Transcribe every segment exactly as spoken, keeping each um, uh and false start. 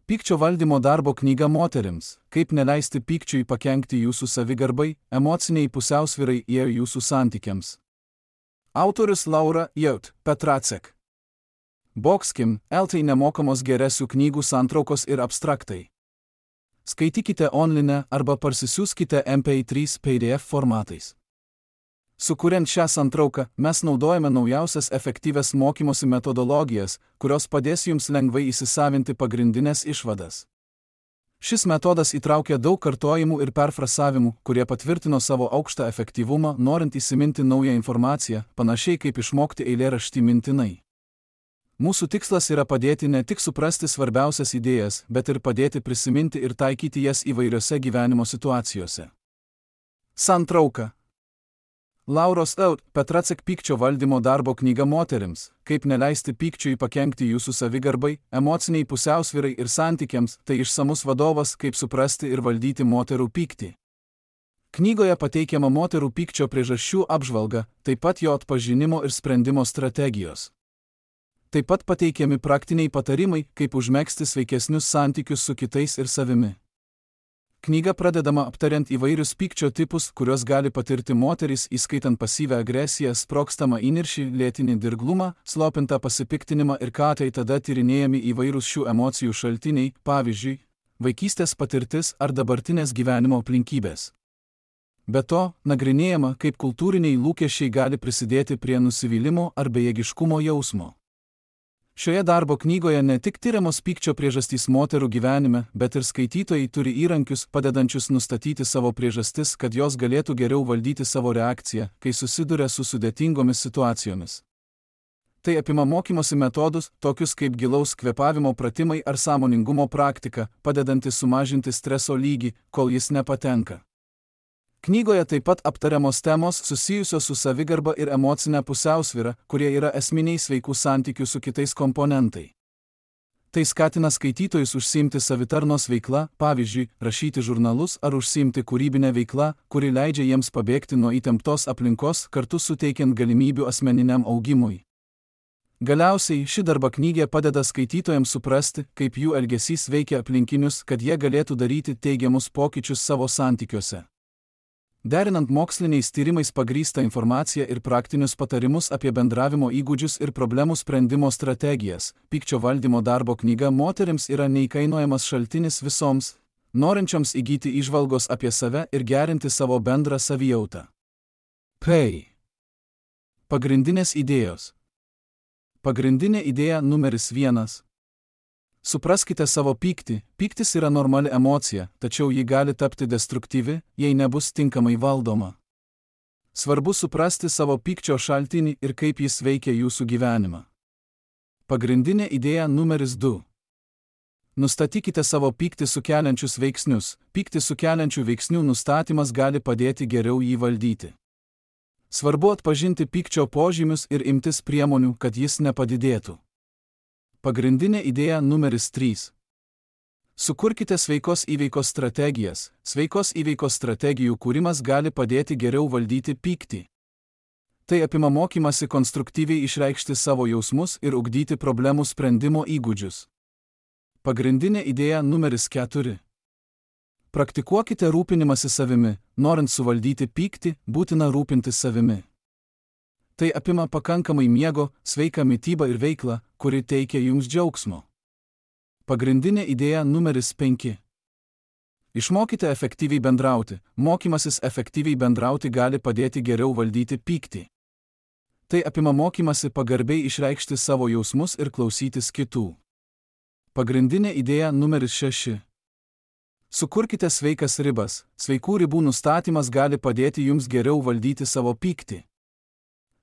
Pykčio valdymo darbo knyga moterims, kaip neleisti pykčiui pakenkti jūsų savigarbai, emociniai pusiausvyrai ir jūsų santykiams. Autorius Laura Jaut Petracek. Boxkim, eltai nemokamos geresių knygų santraukos ir abstraktai. Skaitykite online arba parsisiųskite M P trys P D F formatais. Sukuriant šią santrauką, mes naudojame naujausias efektyvias mokymosi metodologijas, kurios padės jums lengvai įsisavinti pagrindinės išvadas. Šis metodas įtraukia daug kartojimų ir perfrasavimų, kurie patvirtino savo aukštą efektyvumą, norint įsiminti naują informaciją, panašiai kaip išmokti eilėraštį mintinai. Mūsų tikslas yra padėti ne tik suprasti svarbiausias idėjas, bet ir padėti prisiminti ir taikyti jas įvairiose gyvenimo situacijose. Santrauka. Lauros Jaut Petracek pykčio valdymo darbo knyga moterims, kaip neleisti pykčiui pakenkti jūsų savigarbai, emociniai pusiausvyrai ir santykiams, tai išsamus vadovas, kaip suprasti ir valdyti moterų pyktį. Knygoje pateikiama moterų pykčio priežasčių apžvalga, taip pat jo atpažinimo ir sprendimo strategijos. Taip pat pateikiami praktiniai patarimai, kaip užmegzti sveikesnius santykius su kitais ir savimi. Knyga pradedama aptariant įvairius pykčio tipus, kuriuos gali patirti moterys, įskaitant pasyvią agresiją, sprogstamą įniršį, lėtinį dirglumą, slopintą pasipiktinimą ir ką tai tada tyrinėjami įvairūs šių emocijų šaltiniai, pavyzdžiui, vaikystės patirtis ar dabartinės gyvenimo aplinkybės. Be to, nagrinėjama, kaip kultūriniai lūkesčiai gali prisidėti prie nusivylimo ar bejėgiškumo jausmo. Šioje darbo knygoje ne tik tyriamos pykčio priežastys moterų gyvenime, bet ir skaitytojai turi įrankius, padedančius nustatyti savo priežastis, kad jos galėtų geriau valdyti savo reakciją, kai susiduria su sudėtingomis situacijomis. Tai apima mokymosi metodus, tokius kaip gilaus kvėpavimo pratimai ar sąmoningumo praktika, padedantis sumažinti streso lygį, kol jis nepatenka. Knygoje taip pat aptariamos temos susijusios su savigarba ir emocinė pusiausvyra, kurie yra esminiai sveikų santykių su kitais komponentai. Tai skatina skaitytojus užsiimti savitarnos veikla, pavyzdžiui, rašyti žurnalus ar užsiimti kūrybinę veiklą, kuri leidžia jiems pabėgti nuo įtemptos aplinkos, kartu suteikiant galimybių asmeniniam augimui. Galiausiai, ši darbo knygė padeda skaitytojams suprasti, kaip jų elgesys veikia aplinkinius, kad jie galėtų daryti teigiamus pokyčius savo santykiuose. Derinant moksliniais tyrimais pagrįstą informaciją ir praktinius patarimus apie bendravimo įgūdžius ir problemų sprendimo strategijas, pykčio valdymo darbo knyga moterims yra neįkainojamas šaltinis visoms, norinčioms įgyti įžvalgos apie save ir gerinti savo bendrą savijautą. P. Pagrindinės idėjos. Pagrindinė idėja numeris vienas. Supraskite savo pyktį. Pyktis yra normali emocija, tačiau ji gali tapti destruktyvi, jei nebus tinkamai valdoma. Svarbu suprasti savo pykčio šaltinį ir kaip jis veikia jūsų gyvenimą. Pagrindinė idėja numeris du. Nustatykite savo pyktį sukeliančius veiksnius. Pyktį sukeliančių veiksnių nustatymas gali padėti geriau jį valdyti. Svarbu atpažinti pykčio požymius ir imtis priemonių, kad jis nepadidėtų. Pagrindinė idėja numeris trys. Sukurkite sveikos įveikos strategijas. Sveikos įveikos strategijų kūrimas gali padėti geriau valdyti pyktį. Tai apima mokymasi konstruktyviai išreikšti savo jausmus ir ugdyti problemų sprendimo įgūdžius. Pagrindinė idėja numeris keturi. Praktikuokite rūpinimąsi savimi. Norint suvaldyti pyktį, būtina rūpintis savimi. Tai apima pakankamai miego, sveiką mitybą ir veiklą, kuri teikia jums džiaugsmo. Pagrindinė idėja numeris penki. Išmokite efektyviai bendrauti. Mokymasis efektyviai bendrauti gali padėti geriau valdyti pyktį. Tai apima mokymasi pagarbiai išreikšti savo jausmus ir klausytis kitų. Pagrindinė idėja numeris šeši. Sukurkite sveikas ribas. Sveikų ribų nustatymas gali padėti jums geriau valdyti savo pyktį.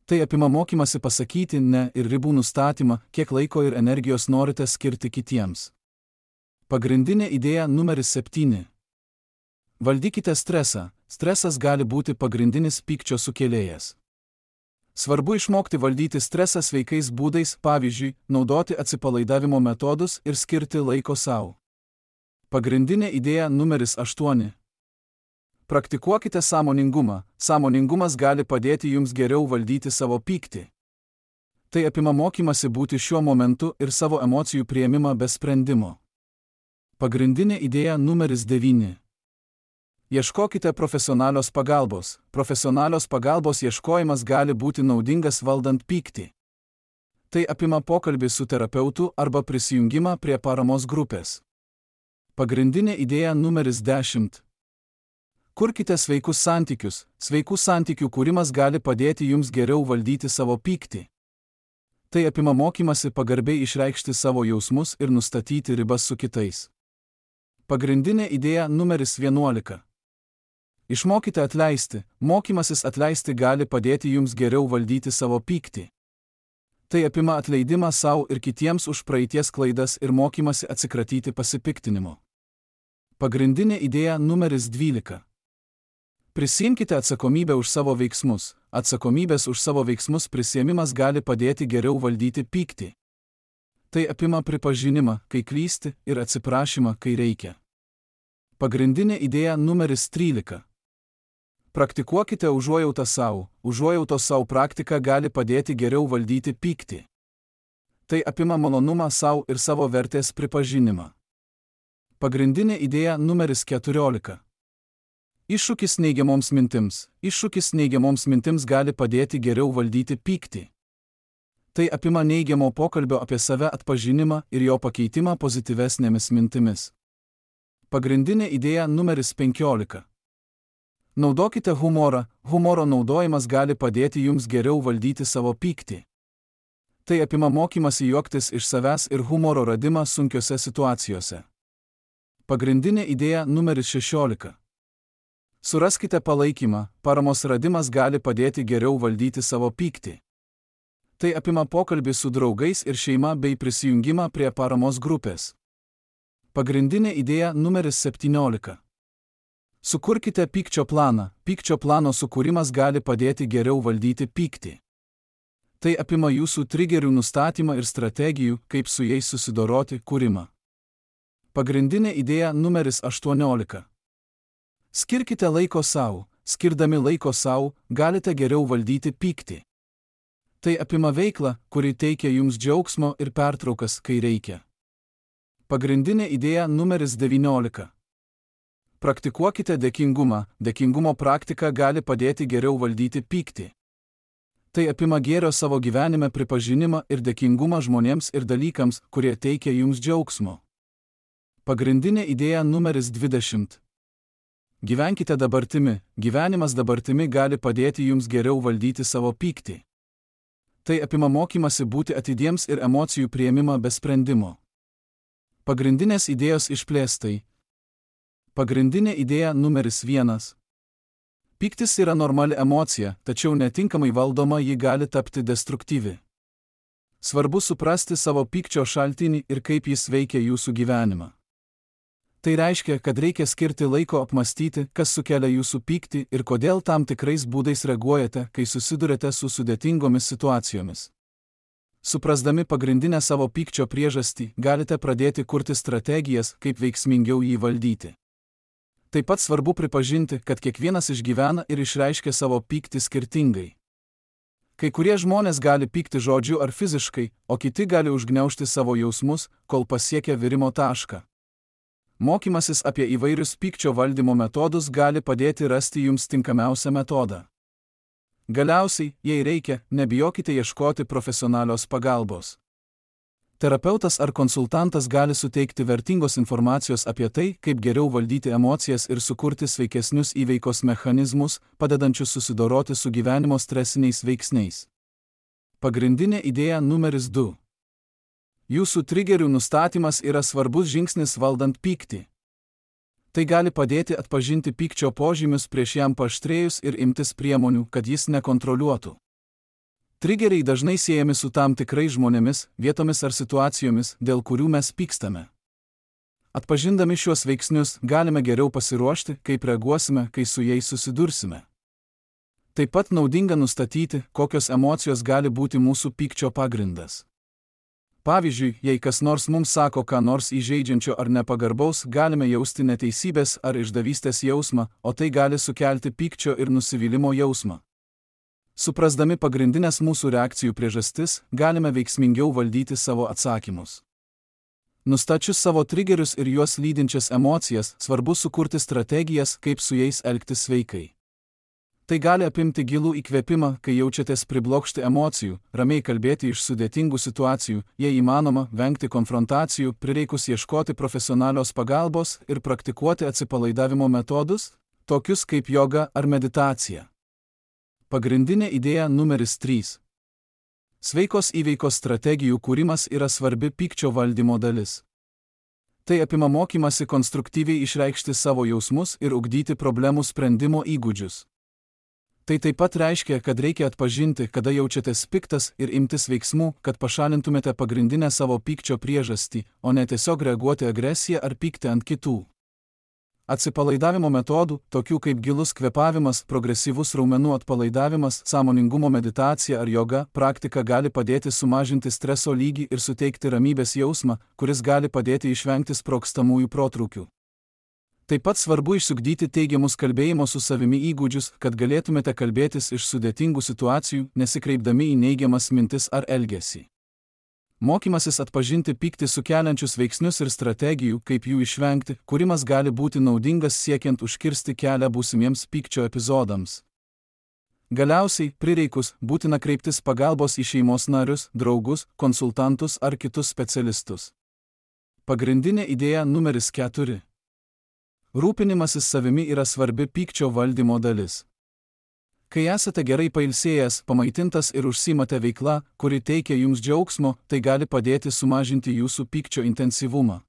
Tai apima mokymasi pasakyti ne ir ribų nustatymą, kiek laiko ir energijos norite skirti kitiems. Pagrindinė idėja numeris septyni. Valdykite stresą. Stresas gali būti pagrindinis pykčio sukėlėjas. Svarbu išmokti valdyti stresą sveikais būdais, pavyzdžiui, naudoti atsipalaidavimo metodus ir skirti laiko sau. Pagrindinė idėja numeris aštuoni. Praktikuokite sąmoningumą. Sąmoningumas gali padėti jums geriau valdyti savo pyktį. Tai apima mokymasi būti šiuo momentu ir savo emocijų priėmimą be sprendimo. Pagrindinė idėja numeris devyni. Ieškokite profesionalios pagalbos. Profesionalios pagalbos ieškojimas gali būti naudingas valdant pyktį. Tai apima pokalbį su terapeutu arba prisijungimą prie paramos grupės. Pagrindinė idėja numeris dešimt. Kurkite sveikus santykius. Sveikų santykių kūrimas gali padėti jums geriau valdyti savo pyktį. Tai apima mokymasi pagarbiai išreikšti savo jausmus ir nustatyti ribas su kitais. Pagrindinė idėja numeris vienuolika. Išmokite atleisti. Mokymasis atleisti gali padėti jums geriau valdyti savo pyktį. Tai apima atleidimą savo ir kitiems už praeities klaidas ir mokymasi atsikratyti pasipiktinimo. Pagrindinė idėja numeris dvylika. Prisiimkite atsakomybę už savo veiksmus. Atsakomybės už savo veiksmus prisiėmimas gali padėti geriau valdyti pyktį. Tai apima pripažinimą, kai klysti, ir atsiprašymą, kai reikia. Pagrindinė idėja numeris trylika. Praktikuokite užuojautą savo. Užuojautos savo praktika gali padėti geriau valdyti pyktį. Tai apima malonumą savo ir savo vertės pripažinimą. Pagrindinė idėja numeris keturiolika. Iššūkis neigiamoms mintims. Iššūkis neigiamoms mintims gali padėti geriau valdyti pyktį. Tai apima neigiamo pokalbio apie save atpažinimą ir jo pakeitimą pozityvesnėmis mintimis. Pagrindinė idėja numeris penkiolika. Naudokite humorą. Humoro naudojimas gali padėti jums geriau valdyti savo pyktį. Tai apima mokymasi juoktis iš savęs ir humoro radimą sunkiose situacijose. Pagrindinė idėja numeris šešiolika. Suraskite palaikymą. Paramos radimas gali padėti geriau valdyti savo pyktį. Tai apima pokalbį su draugais ir šeima bei prisijungimą prie paramos grupės. Pagrindinė idėja numeris septyniolika. Sukurkite pykčio planą. Pykčio plano sukūrimas gali padėti geriau valdyti pyktį. Tai apima jūsų trigerių nustatymą ir strategijų, kaip su jais susidoroti, kūrimą. Pagrindinė idėja numeris aštuoniolika. Skirkite laiko savo. Skirdami laiko savo, galite geriau valdyti pyktį. Tai apima veiklą, kuri teikia jums džiaugsmo ir pertraukas, kai reikia. Pagrindinė idėja numeris devyniolika. Praktikuokite dėkingumą. Dėkingumo praktika gali padėti geriau valdyti pyktį. Tai apima gėrio savo gyvenime pripažinimą ir dėkingumą žmonėms ir dalykams, kurie teikia jums džiaugsmo. Pagrindinė idėja numeris dvidešimt. Gyvenkite dabartimi. Gyvenimas dabartimi gali padėti jums geriau valdyti savo pyktį. Tai apima mokymasi būti atidiems ir emocijų priėmimą be sprendimo. Pagrindinės idėjos išplėstai. Pagrindinė idėja numeris vienas. Pyktis yra normali emocija, tačiau netinkamai valdoma ji gali tapti destruktyvi. Svarbu suprasti savo pykčio šaltinį ir kaip jis veikia jūsų gyvenimą. Tai reiškia, kad reikia skirti laiko apmastyti, kas sukelia jūsų pyktį ir kodėl tam tikrais būdais reaguojate, kai susidurite su sudėtingomis situacijomis. Suprasdami pagrindinę savo pykčio priežastį, galite pradėti kurti strategijas, kaip veiksmingiau jį valdyti. Taip pat svarbu pripažinti, kad kiekvienas išgyvena ir išreiškia savo pyktį skirtingai. Kai kurie žmonės gali pykti žodžiu ar fiziškai, o kiti gali užgniaužti savo jausmus, kol pasiekia virimo tašką. Mokymasis apie įvairius pykčio valdymo metodus gali padėti rasti jums tinkamiausią metodą. Galiausiai, jei reikia, nebijokite ieškoti profesionalios pagalbos. Terapeutas ar konsultantas gali suteikti vertingos informacijos apie tai, kaip geriau valdyti emocijas ir sukurti sveikesnius įveikos mechanizmus, padedančius susidoroti su gyvenimo stresiniais veiksniais. Pagrindinė idėja numeris du. Jūsų trigerių nustatymas yra svarbus žingsnis valdant pyktį. Tai gali padėti atpažinti pykčio požymius prieš jam paaštrėjus ir imtis priemonių, kad jis nekontroliuotų. Trigeriai dažnai siejami su tam tikrais žmonėmis, vietomis ar situacijomis, dėl kurių mes pykstame. Atpažindami šiuos veiksnius, galime geriau pasiruošti, kaip reaguosime, kai su jais susidursime. Taip pat naudinga nustatyti, kokios emocijos gali būti mūsų pykčio pagrindas. Pavyzdžiui, jei kas nors mums sako ką nors įžeidžiančio ar nepagarbaus, galime jausti neteisybės ar išdavystės jausmą, o tai gali sukelti pykčio ir nusivylimo jausmą. Suprasdami pagrindinės mūsų reakcijų priežastis, galime veiksmingiau valdyti savo atsakymus. Nustačius savo trigerius ir juos lydinčias emocijas, svarbu sukurti strategijas, kaip su jais elgtis sveikai. Tai gali apimti gilų įkvėpimą, kai jaučiatės priblokšti emocijų, ramiai kalbėti iš sudėtingų situacijų, jei įmanoma, vengti konfrontacijų, prireikus ieškoti profesionalios pagalbos ir praktikuoti atsipalaidavimo metodus, tokius kaip joga ar meditacija. Pagrindinė idėja numeris trys. Sveikos įveikos strategijų kūrimas yra svarbi pykčio valdymo dalis. Tai apima mokymasi konstruktyviai išreikšti savo jausmus ir ugdyti problemų sprendimo įgūdžius. Tai taip pat reiškia, kad reikia atpažinti, kada jaučiatės piktas ir imtis veiksmų, kad pašalintumėte pagrindinę savo pykčio priežastį, o ne tiesiog reaguoti agresiją ar pykti ant kitų. Atsipalaidavimo metodų, tokių kaip gilus kvėpavimas, progresyvus raumenų atpalaidavimas, sąmoningumo meditacija ar joga, praktika gali padėti sumažinti streso lygį ir suteikti ramybės jausmą, kuris gali padėti išvengti sprogstamųjų protrūkių. Taip pat svarbu išsiugdyti teigiamus kalbėjimo su savimi įgūdžius, kad galėtumėte kalbėtis iš sudėtingų situacijų, nesikreipdami į neigiamas mintis ar elgesį. Mokymasis atpažinti pyktį sukeliančius veiksnius ir strategijų, kaip jų išvengti, kūrimas gali būti naudingas siekiant užkirsti kelią būsimiems pykčio epizodams. Galiausiai, prireikus, būtina kreiptis pagalbos į šeimos narius, draugus, konsultantus ar kitus specialistus. Pagrindinė idėja numeris keturi. Rūpinimasis savimi yra svarbi pykčio valdymo dalis. Kai esate gerai pailsėjęs, pamaitintas ir užsiimate veikla, kuri teikia jums džiaugsmo, tai gali padėti sumažinti jūsų pykčio intensyvumą.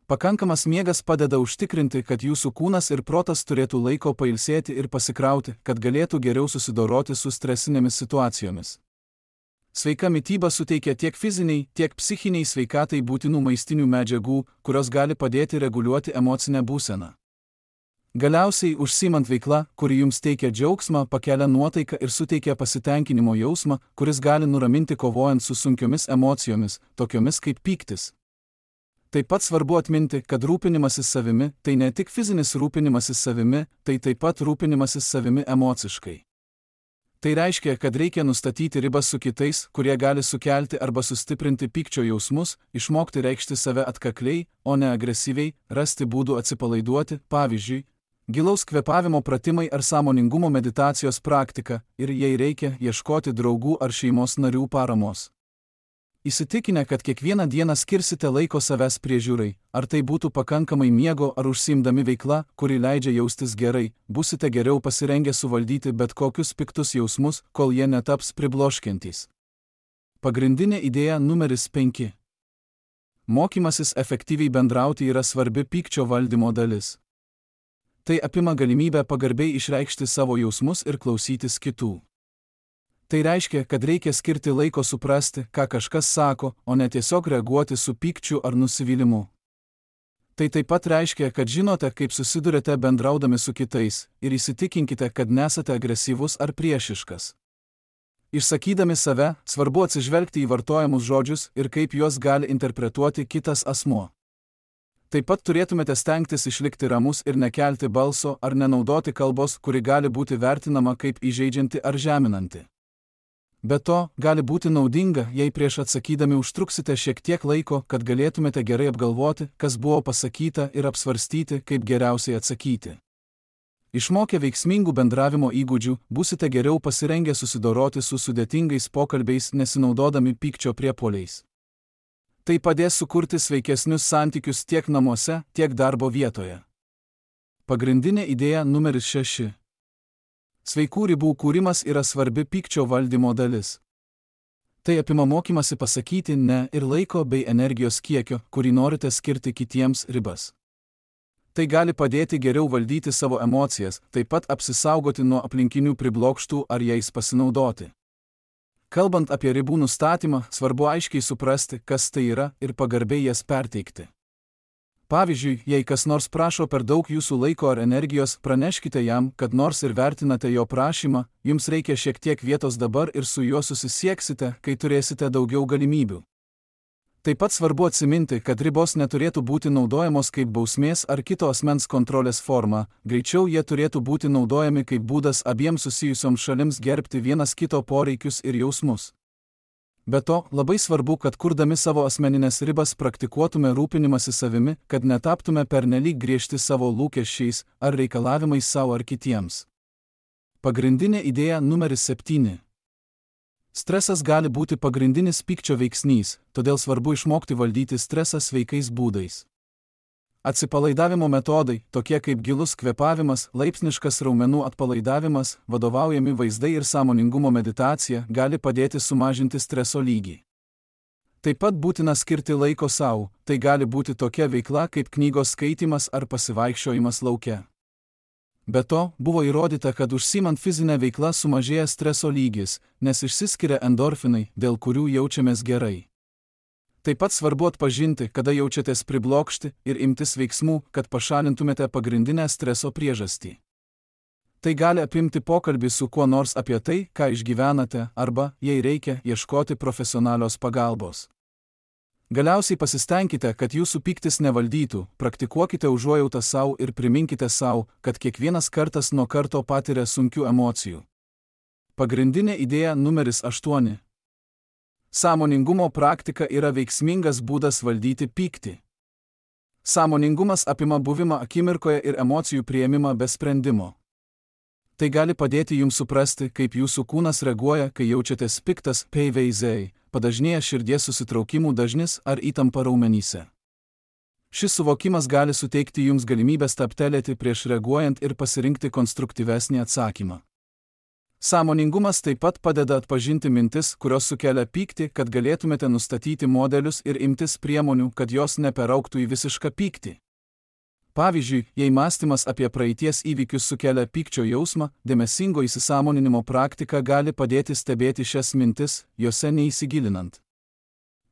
Pakankamas miegas padeda užtikrinti, kad jūsų kūnas ir protas turėtų laiko pailsėti ir pasikrauti, kad galėtų geriau susidoroti su stresinėmis situacijomis. Sveika mityba suteikia tiek fiziniai, tiek psichiniai sveikatai būtinų maistinių medžiagų, kurios gali padėti reguliuoti emocinę būseną. Galiausiai, užsiimant veiklą, kuri jums teikia džiaugsmą, pakelia nuotaiką ir suteikia pasitenkinimo jausmą, kuris gali nuraminti kovojant su sunkiomis emocijomis, tokiomis kaip pyktis. Taip pat svarbu atminti, kad rūpinimasis savimi tai ne tik fizinis rūpinimasis savimi, tai taip pat rūpinimasis savimi emociškai. Tai reiškia, kad reikia nustatyti ribas su kitais, kurie gali sukelti arba sustiprinti pykčio jausmus, išmokti reikšti save atkakliai, o ne agresyviai, rasti būdų atsipalaiduoti, pavyzdžiui, gilaus kvėpavimo pratimai ar sąmoningumo meditacijos praktika, ir jei reikia, ieškoti draugų ar šeimos narių paramos. Įsitikinę, kad kiekvieną dieną skirsite laiko savęs priežiūrai, ar tai būtų pakankamai miego ar užsiimdami veikla, kuri leidžia jaustis gerai, busite geriau pasirengę suvaldyti bet kokius piktus jausmus, kol jie netaps pribloškiantys. Pagrindinė idėja numeris penki. Mokymasis efektyviai bendrauti yra svarbi pykčio valdymo dalis. Tai apima galimybę pagarbiai išreikšti savo jausmus ir klausytis kitų. Tai reiškia, kad reikia skirti laiko suprasti, ką kažkas sako, o ne tiesiog reaguoti su pykčiu ar nusivylimu. Tai taip pat reiškia, kad žinote, kaip susidurėte bendraudami su kitais, ir įsitikinkite, kad nesate agresyvus ar priešiškas. Išsakydami save, svarbu atsižvelgti į vartojamus žodžius ir kaip juos gali interpretuoti kitas asmuo. Taip pat turėtumėte stengtis išlikti ramus ir nekelti balso ar nenaudoti kalbos, kuri gali būti vertinama kaip įžeidžianti ar žeminanti. Be to, gali būti naudinga, jei prieš atsakydami užtruksite šiek tiek laiko, kad galėtumėte gerai apgalvoti, kas buvo pasakyta ir apsvarstyti, kaip geriausiai atsakyti. Išmokę veiksmingų bendravimo įgūdžių, būsite geriau pasirengę susidoroti su sudėtingais pokalbiais, nesinaudodami pykčio priepuoliais. Tai padės sukurti sveikesnius santykius tiek namuose, tiek darbo vietoje. Pagrindinė idėja numeris šeši. Sveikų ribų kūrimas yra svarbi pykčio valdymo dalis. Tai apima mokymasi pasakyti ne ir laiko bei energijos kiekio, kurį norite skirti kitiems ribas. Tai gali padėti geriau valdyti savo emocijas, taip pat apsisaugoti nuo aplinkinių priblokštų ar jais pasinaudoti. Kalbant apie ribų nustatymą, svarbu aiškiai suprasti, kas tai yra ir pagarbiai jas perteikti. Pavyzdžiui, jei kas nors prašo per daug jūsų laiko ar energijos, praneškite jam, kad nors ir vertinate jo prašymą, jums reikia šiek tiek vietos dabar ir su juo susisieksite, kai turėsite daugiau galimybių. Taip pat svarbu atsiminti, kad ribos neturėtų būti naudojamos kaip bausmės ar kito asmens kontrolės forma, greičiau jie turėtų būti naudojami kaip būdas abiems susijusioms šalims gerbti vienas kito poreikius ir jausmus. Be to, labai svarbu, kad kurdami savo asmeninės ribas praktikuotume rūpinimąsi savimi, kad netaptume pernelyg griežti savo lūkesčiais ar reikalavimais savo ar kitiems. Pagrindinė idėja numeris septyni. Stresas gali būti pagrindinis pykčio veiksnys, todėl svarbu išmokti valdyti stresą sveikais būdais. Atsipalaidavimo metodai, tokie kaip gilus kvėpavimas, laipsniškas raumenų atpalaidavimas, vadovaujami vaizdai ir sąmoningumo meditacija gali padėti sumažinti streso lygį. Taip pat būtina skirti laiko sau, tai gali būti tokia veikla kaip knygos skaitymas ar pasivaikščiojimas lauke. Be to, buvo įrodyta, kad užsiimant fizinę veiklą sumažėja streso lygis, nes išsiskiria endorfinai, dėl kurių jaučiamės gerai. Taip pat svarbu atpažinti, kada jaučiatės priblokšti ir imtis veiksmų, kad pašalintumėte pagrindinę streso priežastį. Tai gali apimti pokalbį su kuo nors apie tai, ką išgyvenate, arba, jei reikia, ieškoti profesionalios pagalbos. Galiausiai pasistengkite, kad jūsų pyktis nevaldytų, praktikuokite užuojautą sau ir priminkite sau, kad kiekvienas kartas nuo karto patiria sunkių emocijų. Pagrindinė idėja numeris aštuoni. Sąmoningumo praktika yra veiksmingas būdas valdyti pyktį. Sąmoningumas apima buvimą akimirkoje ir emocijų priėmimą be sprendimo. Tai gali padėti jums suprasti, kaip jūsų kūnas reaguoja, kai jaučiatės piktas, peiveizei, padažnėja širdies susitraukimų dažnis ar įtampa raumenyse. Šis suvokimas gali suteikti jums galimybę stabtelėti prieš reaguojant ir pasirinkti konstruktyvesnį atsakymą. Sąmoningumas taip pat padeda atpažinti mintis, kurios sukelia pyktį, kad galėtumėte nustatyti modelius ir imtis priemonių, kad jos neperaugtų į visišką pyktį. Pavyzdžiui, jei mąstymas apie praeities įvykius sukelia pykčio jausmą, dėmesingo įsisąmoninimo praktika gali padėti stebėti šias mintis, jose neįsigilinant.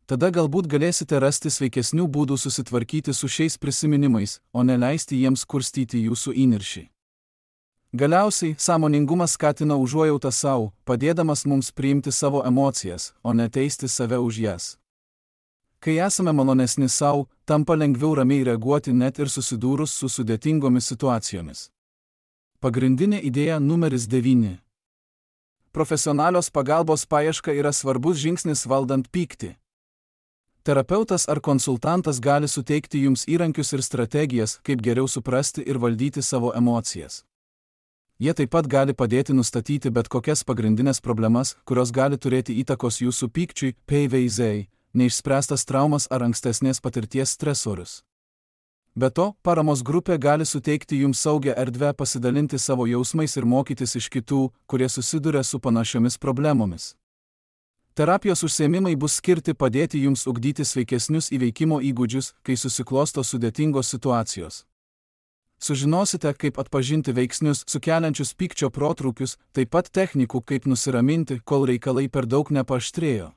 Tada galbūt galėsite rasti sveikesnių būdų susitvarkyti su šiais prisiminimais, o neleisti jiems kurstyti jūsų įniršį. Galiausiai, sąmoningumas skatina užuojautą sau, padėdamas mums priimti savo emocijas, o ne teisti save už jas. Kai esame malonesni sau, tampa lengviau ramiai reaguoti net ir susidūrus su sudėtingomis situacijomis. Pagrindinė idėja numeris devyni. Profesionalios pagalbos paieška yra svarbus žingsnis valdant pyktį. Terapeutas ar konsultantas gali suteikti jums įrankius ir strategijas, kaip geriau suprasti ir valdyti savo emocijas. Jie taip pat gali padėti nustatyti bet kokias pagrindinės problemas, kurios gali turėti įtakos jūsų pykčiui, peiveizei, neišspręstas traumas ar ankstesnės patirties stresorius. Be to, paramos grupė gali suteikti jums saugią erdvę pasidalinti savo jausmais ir mokytis iš kitų, kurie susiduria su panašiomis problemomis. Terapijos užsiėmimai bus skirti padėti jums ugdyti sveikesnius įveikimo įgūdžius, kai susiklosto sudėtingos situacijos. Sužinosite, kaip atpažinti veiksnius sukeliančius pykčio protrūkius, taip pat technikų, kaip nusiraminti, kol reikalai per daug nepaaštrėjo.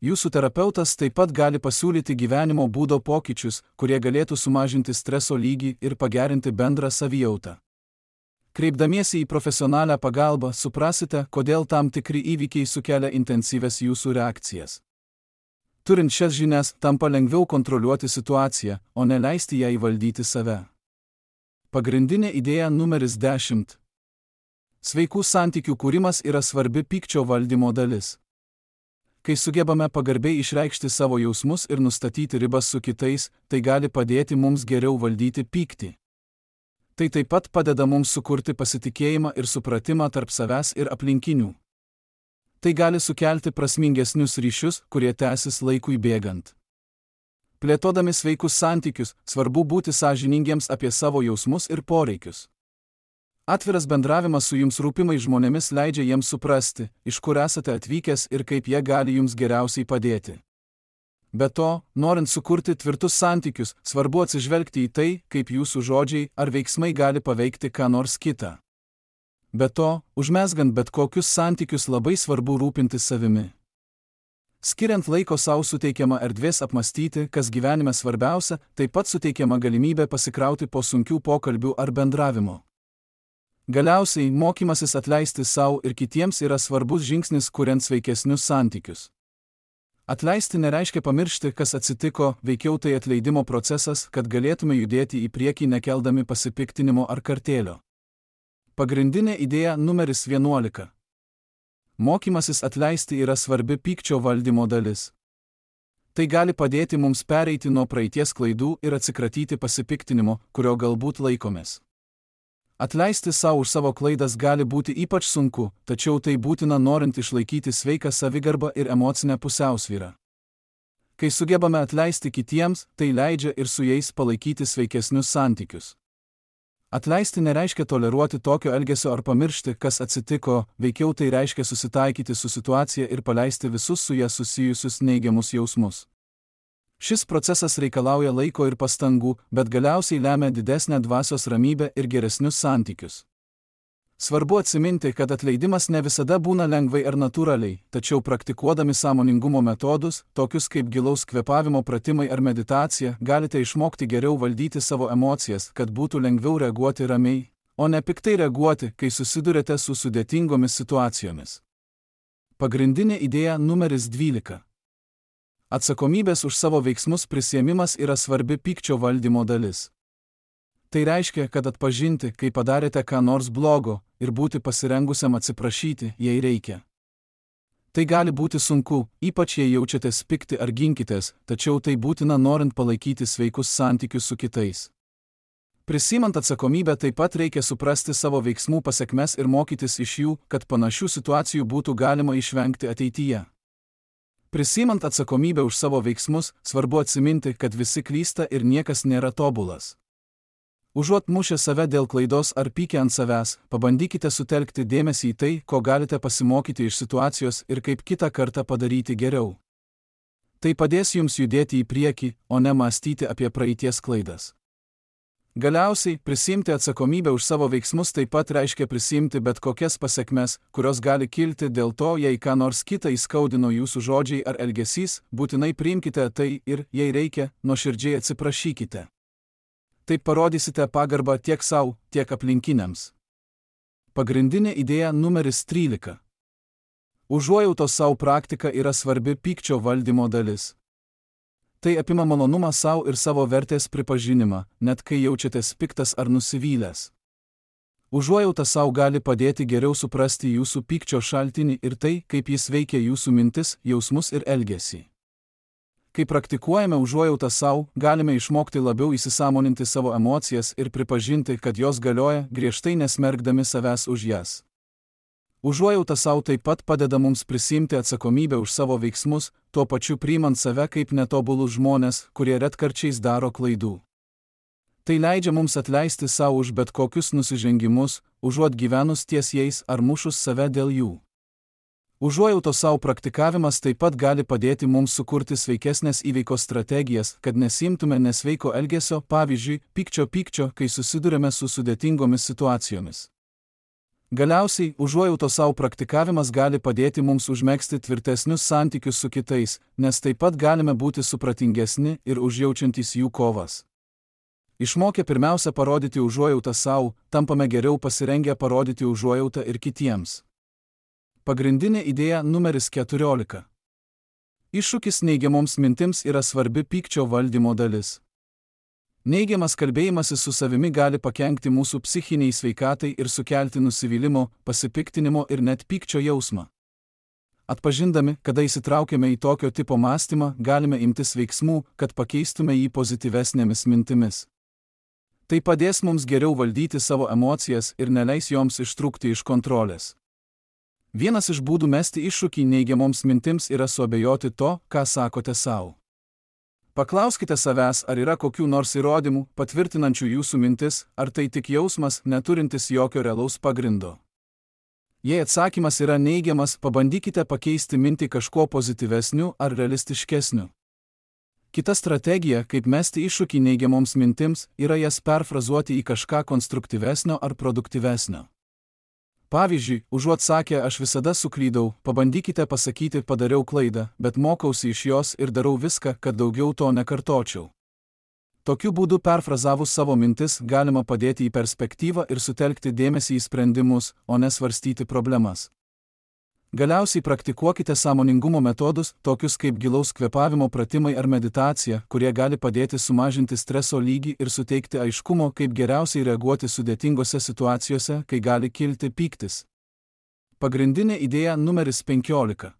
Jūsų terapeutas taip pat gali pasiūlyti gyvenimo būdo pokyčius, kurie galėtų sumažinti streso lygį ir pagerinti bendrą savijautą. Kreipdamiesi į profesionalią pagalbą, suprasite, kodėl tam tikri įvykiai sukelia intensyves jūsų reakcijas. Turint šias žinias, tampa lengviau kontroliuoti situaciją, o ne leisti ją įvaldyti save. Pagrindinė idėja numeris dešimt. Sveikų santykių kūrimas yra svarbi pykčio valdymo dalis. Kai sugebame pagarbiai išreikšti savo jausmus ir nustatyti ribas su kitais, tai gali padėti mums geriau valdyti pyktį. Tai taip pat padeda mums sukurti pasitikėjimą ir supratimą tarp savęs ir aplinkinių. Tai gali sukelti prasmingesnius ryšius, kurie tęsis laikui bėgant. Plėtodami sveikus santykius, svarbu būti sąžiningiems apie savo jausmus ir poreikius. Atviras bendravimas su jums rūpimais žmonėmis leidžia jiems suprasti, iš kur esate atvykęs ir kaip jie gali jums geriausiai padėti. Be to, norint sukurti tvirtus santykius, svarbu atsižvelgti į tai, kaip jūsų žodžiai ar veiksmai gali paveikti ką nors kitą. Be to, užmezgant bet kokius santykius labai svarbu rūpintis savimi. Skiriant laiko sau suteikiama erdvės apmastyti, kas gyvenime svarbiausia, taip pat suteikiama galimybė pasikrauti po sunkių pokalbių ar bendravimo. Galiausiai, mokymasis atleisti sau ir kitiems yra svarbus žingsnis kuriant sveikesnius santykius. Atleisti nereiškia pamiršti, kas atsitiko, veikiau tai atleidimo procesas, kad galėtume judėti į priekį nekeldami pasipiktinimo ar kartėlio. Pagrindinė idėja numeris vienuolika. Mokymasis atleisti yra svarbi pykčio valdymo dalis. Tai gali padėti mums pereiti nuo praeities klaidų ir atsikratyti pasipiktinimo, kurio galbūt laikomės. Atleisti savo už savo klaidas gali būti ypač sunku, tačiau tai būtina norint išlaikyti sveiką savigarbą ir emocinę pusiausvyrą. Kai sugebame atleisti kitiems, tai leidžia ir su jais palaikyti sveikesnius santykius. Atleisti nereiškia toleruoti tokio elgesio ar pamiršti, kas atsitiko, veikiau tai reiškia susitaikyti su situacija ir paleisti visus su ja susijusius neigiamus jausmus. Šis procesas reikalauja laiko ir pastangų, bet galiausiai lemia didesnę dvasios ramybę ir geresnius santykius. Svarbu atsiminti, kad atleidimas ne visada būna lengvai ar natūraliai, tačiau praktikuodami sąmoningumo metodus, tokius kaip gilaus kvėpavimo pratimai ar meditacija, galite išmokti geriau valdyti savo emocijas, kad būtų lengviau reaguoti ramiai, o ne piktai reaguoti, kai susidurite su sudėtingomis situacijomis. Pagrindinė idėja numeris dvylika. Atsakomybės už savo veiksmus prisiėmimas yra svarbi pykčio valdymo dalis. Tai reiškia, kad atpažinti, kai padarėte ką nors blogo, ir būti pasirengusiam atsiprašyti, jei reikia. Tai gali būti sunku, ypač jei jaučiatės pikti ar ginkitės, tačiau tai būtina norint palaikyti sveikus santykius su kitais. Prisimant atsakomybę taip pat reikia suprasti savo veiksmų pasekmes ir mokytis iš jų, kad panašių situacijų būtų galima išvengti ateityje. Prisimant atsakomybę už savo veiksmus, svarbu atsiminti, kad visi klysta ir niekas nėra tobulas. Užuot mušę save dėl klaidos ar pykę ant savęs, pabandykite sutelkti dėmesį į tai, ko galite pasimokyti iš situacijos ir kaip kitą kartą padaryti geriau. Tai padės jums judėti į priekį, o ne mąstyti apie praeities klaidas. Galiausiai, prisiimti atsakomybę už savo veiksmus taip pat reiškia prisiimti bet kokias pasekmes, kurios gali kilti dėl to, jei ką nors kitą įskaudino jūsų žodžiai ar elgesys, būtinai priimkite tai ir, jei reikia, nuoširdžiai atsiprašykite. Taip parodysite pagarbą tiek savo, tiek aplinkiniams. Pagrindinė idėja numeris trylika. Užuojautos savo praktika yra svarbi pykčio valdymo dalis. Tai apima malonumą savo ir savo vertės pripažinimą, net kai jaučiatės piktas ar nusivylęs. Užuojauta savo gali padėti geriau suprasti jūsų pykčio šaltinį ir tai, kaip jis veikia jūsų mintis, jausmus ir elgesį. Kai praktikuojame užuojautą savo, galime išmokti labiau įsisąmoninti savo emocijas ir pripažinti, kad jos galioja, griežtai nesmerkdami savęs už jas. Užuojauta savo taip pat padeda mums prisiimti atsakomybę už savo veiksmus, tuo pačiu priimant save kaip netobulus žmonės, kurie retkarčiais daro klaidų. Tai leidžia mums atleisti savo už bet kokius nusižengimus, užuot gyvenus ties jais ar mušus save dėl jų. Užuojautos savo praktikavimas taip pat gali padėti mums sukurti sveikesnės įveikos strategijas, kad nesimtume nesveiko elgesio, pavyzdžiui, pykčio pykčio, kai susidurime su sudėtingomis situacijomis. Galiausiai, užuojautos savo praktikavimas gali padėti mums užmegzti tvirtesnius santykius su kitais, nes taip pat galime būti supratingesni ir užjaučiantys jų kovas. Išmokę pirmiausia parodyti užuojautą savo, tampame geriau pasirengę parodyti užuojautą ir kitiems. Pagrindinė idėja numeris keturiolika. Iššūkis neigiamoms mintims yra svarbi pykčio valdymo dalis. Neigiamas kalbėjimasis su savimi gali pakenkti mūsų psichiniai sveikatai ir sukelti nusivylimo, pasipiktinimo ir net pykčio jausmą. Atpažindami, kada įsitraukiame į tokio tipo mąstymą, galime imtis veiksmų, kad pakeistume jį pozityvesnėmis mintimis. Tai padės mums geriau valdyti savo emocijas ir neleis joms ištrūkti iš kontrolės. Vienas iš būdų mesti iššūkį neigiamoms mintims yra suabejoti to, ką sakote savo. Paklauskite savęs, ar yra kokių nors įrodymų, patvirtinančių jūsų mintis, ar tai tik jausmas, neturintis jokio realaus pagrindo. Jei atsakymas yra neigiamas, pabandykite pakeisti mintį kažkuo pozityvesniu ar realistiškesniu. Kita strategija, kaip mesti iššūkį neigiamoms mintims, yra jas perfrazuoti į kažką konstruktyvesnio ar produktyvesnio. Pavyzdžiui, užuot sakę aš visada suklydau, pabandykite pasakyti padariau klaidą, bet mokausi iš jos ir darau viską, kad daugiau to nekartočiau. Tokiu būdu perfrazavus savo mintis galima padėti į perspektyvą ir sutelkti dėmesį į sprendimus, o ne svarstyti problemas. Galiausiai praktikuokite sąmoningumo metodus, tokius kaip gilaus kvėpavimo pratimai ar meditacija, kurie gali padėti sumažinti streso lygį ir suteikti aiškumo, kaip geriausiai reaguoti sudėtingose situacijose, kai gali kilti pyktis. Pagrindinė idėja numeris penkiolika.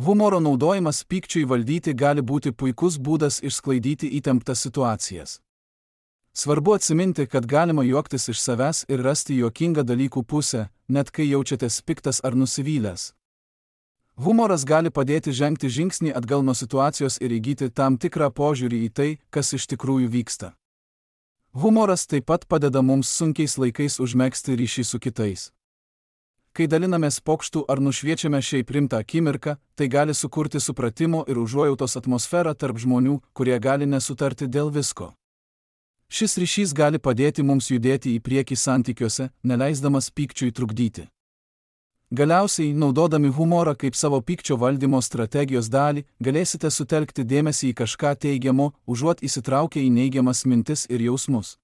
Humoro naudojimas pykčiui valdyti gali būti puikus būdas išsklaidyti įtemptas situacijas. Svarbu atsiminti, kad galima juoktis iš savęs ir rasti juokingą dalykų pusę, net kai jaučiatės piktas ar nusivylęs. Humoras gali padėti žengti žingsnį atgal nuo situacijos ir įgyti tam tikrą požiūrį į tai, kas iš tikrųjų vyksta. Humoras taip pat padeda mums sunkiais laikais užmegzti ryšį su kitais. Kai dalinamės pokštų ar nušviečiame šiaip rimtą akimirką, tai gali sukurti supratimo ir užuojautos atmosferą tarp žmonių, kurie gali nesutarti dėl visko. Šis ryšys gali padėti mums judėti į priekį santykiuose, neleisdamas pykčiui trukdyti. Galiausiai, naudodami humorą kaip savo pykčio valdymo strategijos dalį, galėsite sutelkti dėmesį į kažką teigiamo, užuot įsitraukę į neigiamas mintis ir jausmus.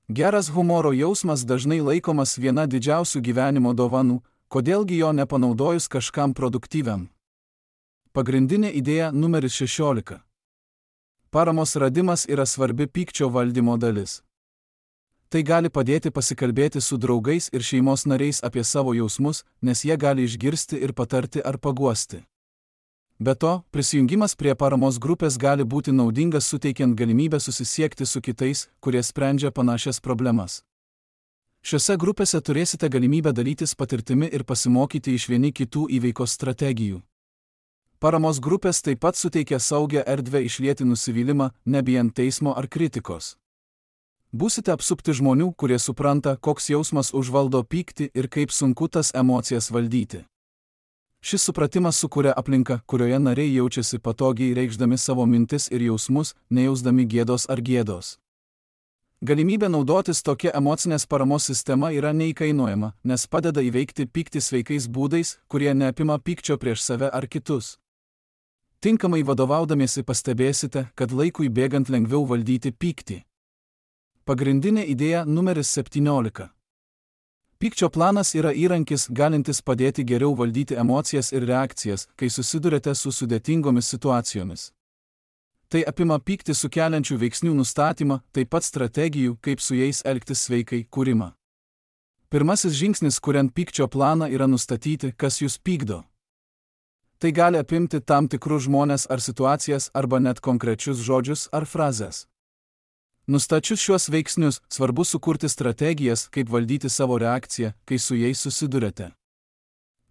Geras humoro jausmas dažnai laikomas viena didžiausių gyvenimo dovanų, kodėlgi jo nepanaudojus kažkam produktyviam. Pagrindinė idėja numeris šešiolika. Paramos radimas yra svarbi pykčio valdymo dalis. Tai gali padėti pasikalbėti su draugais ir šeimos nariais apie savo jausmus, nes jie gali išgirsti ir patarti ar paguosti. Be to, prisijungimas prie paramos grupės gali būti naudingas suteikiant galimybę susisiekti su kitais, kurie sprendžia panašias problemas. Šiose grupėse turėsite galimybę dalytis patirtimi ir pasimokyti iš vieni kitų įveikos strategijų. Paramos grupės taip pat suteikia saugią erdvę išlieti nusivylimą, nebijant teismo ar kritikos. Būsite apsupti žmonių, kurie supranta, koks jausmas užvaldo pyktį ir kaip sunku tas emocijas valdyti. Šis supratimas sukuria aplinką, kurioje nariai jaučiasi patogiai reikšdami savo mintis ir jausmus, nejausdami gėdos ar gėdos. Galimybė naudotis tokia emocinės paramos sistema yra neįkainojama, nes padeda įveikti pyktį sveikais būdais, kurie neapima pykčio prieš save ar kitus. Tinkamai vadovaudamiesi pastebėsite, kad laikui bėgant lengviau valdyti pyktį. Pagrindinė idėja numeris septyniolika. Pykčio planas yra įrankis, galintis padėti geriau valdyti emocijas ir reakcijas, kai susidurite su sudėtingomis situacijomis. Tai apima pyktį sukeliančių veiksnių nustatymą, taip pat strategijų, kaip su jais elgtis sveikai, kūrimą. Pirmasis žingsnis, kuriant pykčio planą, yra nustatyti, kas jūs pykdo. Tai gali apimti tam tikrus žmones ar situacijas, arba net konkrečius žodžius ar frazes. Nustačius šiuos veiksnius, svarbu sukurti strategijas, kaip valdyti savo reakciją, kai su jais susidurite.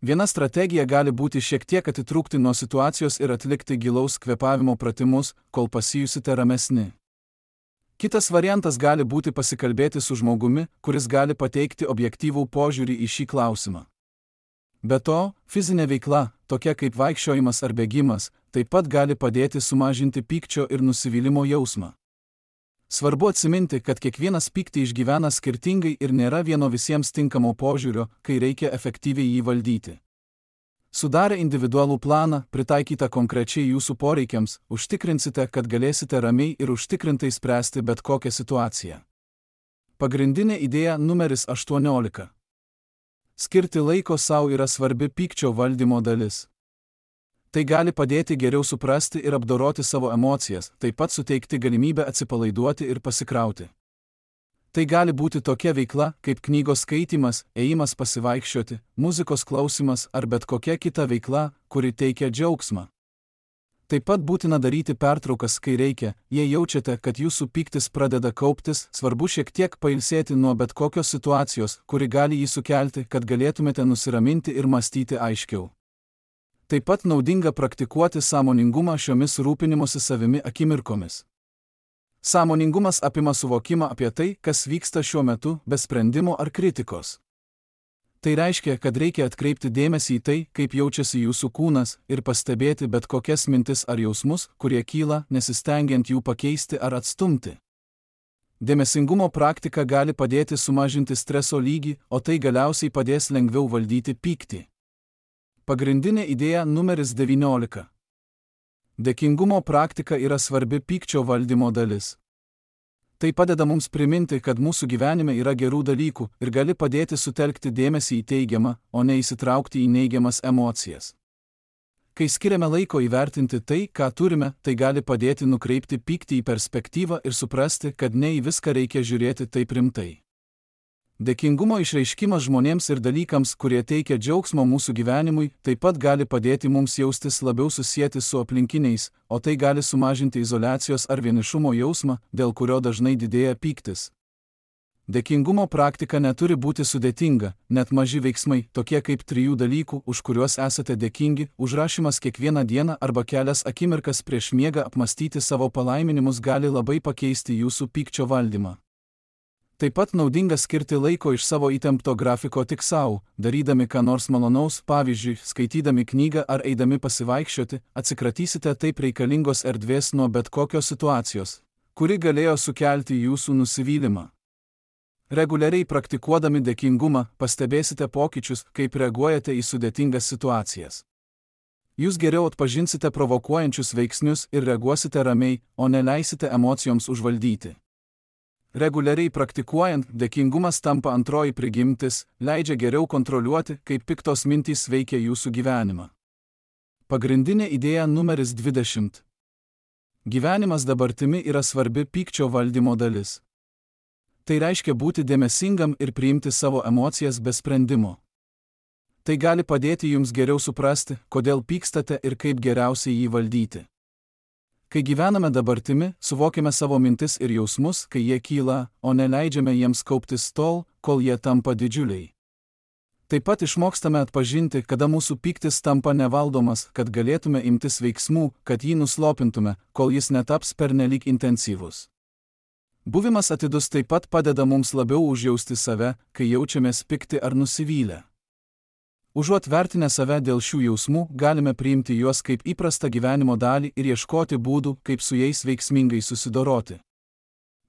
Viena strategija gali būti šiek tiek atitrūkti nuo situacijos ir atlikti gilaus kvėpavimo pratimus, kol pasijusite ramesni. Kitas variantas gali būti pasikalbėti su žmogumi, kuris gali pateikti objektyvų požiūrį į šį klausimą. Be to, fizinė veikla, tokia kaip vaikščiojimas ar bėgimas, taip pat gali padėti sumažinti pykčio ir nusivylimo jausmą. Svarbu atsiminti, kad kiekvienas pyktį išgyvena skirtingai ir nėra vieno visiems tinkamo požiūrio, kai reikia efektyviai jį valdyti. Sudarę individualų planą, pritaikytą konkrečiai jūsų poreikiams, užtikrinsite, kad galėsite ramiai ir užtikrintai spręsti bet kokią situaciją. Pagrindinė idėja numeris aštuoniolika. Skirti laiko sau yra svarbi pykčio valdymo dalis. Tai gali padėti geriau suprasti ir apdoroti savo emocijas, taip pat suteikti galimybę atsipalaiduoti ir pasikrauti. Tai gali būti tokia veikla, kaip knygos skaitymas, ėjimas pasivaikščioti, muzikos klausimas ar bet kokia kita veikla, kuri teikia džiaugsmą. Taip pat būtina daryti pertraukas, kai reikia, jei jaučiate, kad jūsų pyktis pradeda kauptis, svarbu šiek tiek pailsėti nuo bet kokios situacijos, kuri gali jį sukelti, kad galėtumėte nusiraminti ir mąstyti aiškiau. Taip pat naudinga praktikuoti sąmoningumą šiomis rūpinimosi savimi akimirkomis. Sąmoningumas apima suvokimą apie tai, kas vyksta šiuo metu, be sprendimo ar kritikos. Tai reiškia, kad reikia atkreipti dėmesį į tai, kaip jaučiasi jūsų kūnas, ir pastebėti bet kokias mintis ar jausmus, kurie kyla, nesistengiant jų pakeisti ar atstumti. Dėmesingumo praktika gali padėti sumažinti streso lygį, o tai galiausiai padės lengviau valdyti pyktį. Pagrindinė idėja numeris devyniolika. Dėkingumo praktika yra svarbi pykčio valdymo dalis. Tai padeda mums priminti, kad mūsų gyvenime yra gerų dalykų ir gali padėti sutelkti dėmesį į teigiamą, o ne įsitraukti į neigiamas emocijas. Kai skiriame laiko įvertinti tai, ką turime, tai gali padėti nukreipti pyktį į perspektyvą ir suprasti, kad ne į viską reikia žiūrėti taip rimtai. Dėkingumo išreiškimas žmonėms ir dalykams, kurie teikia džiaugsmo mūsų gyvenimui, taip pat gali padėti mums jaustis labiau susieti su aplinkiniais, o tai gali sumažinti izoliacijos ar vienišumo jausmą, dėl kurio dažnai didėja pyktis. Dėkingumo praktika neturi būti sudėtinga, net maži veiksmai, tokie kaip trijų dalykų, už kuriuos esate dėkingi, užrašymas kiekvieną dieną arba kelias akimirkas prieš miegą apmastyti savo palaiminimus gali labai pakeisti jūsų pykčio valdymą. Taip pat naudinga skirti laiko iš savo įtempto grafiko tik savo, darydami ką nors malonaus, pavyzdžiui, skaitydami knygą ar eidami pasivaikščioti, atsikratysite taip reikalingos erdvės nuo bet kokios situacijos, kuri galėjo sukelti jūsų nusivylimą. Reguliariai praktikuodami dėkingumą, pastebėsite pokyčius, kaip reaguojate į sudėtingas situacijas. Jūs geriau atpažinsite provokuojančius veiksnius ir reaguosite ramiai, o neleisite emocijoms užvaldyti. Reguliariai praktikuojant, dėkingumas tampa antroji prigimtis, leidžia geriau kontroliuoti, kaip piktos mintys veikia jūsų gyvenimą. Pagrindinė idėja numeris dvidešimt. Gyvenimas dabartimi yra svarbi pykčio valdymo dalis. Tai reiškia būti dėmesingam ir priimti savo emocijas be sprendimo. Tai gali padėti jums geriau suprasti, kodėl pykstate ir kaip geriausiai jį valdyti. Kai gyvename dabartimi, suvokime savo mintis ir jausmus, kai jie kyla, o neleidžiame jiems kauptis tol, kol jie tampa didžiuliai. Taip pat išmokstame atpažinti, kada mūsų pyktis tampa nevaldomas, kad galėtume imtis veiksmų, kad jį nuslopintume, kol jis netaps pernelyg intensyvus. Buvimas atidus taip pat padeda mums labiau užjausti save, kai jaučiamės pikti ar nusivylę. Užuot vertinę save dėl šių jausmų, galime priimti juos kaip įprastą gyvenimo dalį ir ieškoti būdų, kaip su jais veiksmingai susidoroti.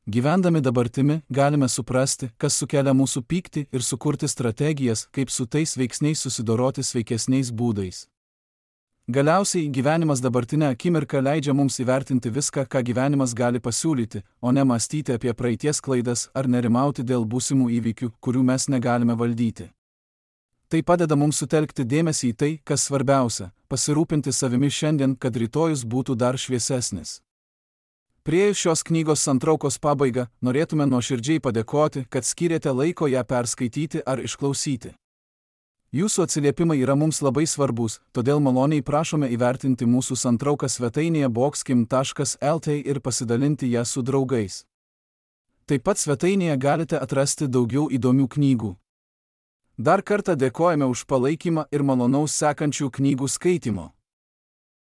Gyvendami dabartimi, galime suprasti, kas sukelia mūsų pyktį ir sukurti strategijas, kaip su tais veiksniais susidoroti sveikesniais būdais. Galiausiai, gyvenimas dabartinę akimirką leidžia mums įvertinti viską, ką gyvenimas gali pasiūlyti, o ne mąstyti apie praeities klaidas ar nerimauti dėl būsimų įvykių, kurių mes negalime valdyti. Tai padeda mums sutelkti dėmesį į tai, kas svarbiausia – pasirūpinti savimi šiandien, kad rytojus būtų dar šviesesnis. Priėjus šios knygos santraukos pabaigą, norėtume nuoširdžiai padėkoti, kad skyrėte laiko ją perskaityti ar išklausyti. Jūsų atsiliepimai yra mums labai svarbus, todėl maloniai prašome įvertinti mūsų santrauką svetainėje boxkim taškas el tė ir pasidalinti ją su draugais. Taip pat svetainėje galite atrasti daugiau įdomių knygų. Dar kartą dėkojame už palaikymą ir malonaus sekančių knygų skaitimo.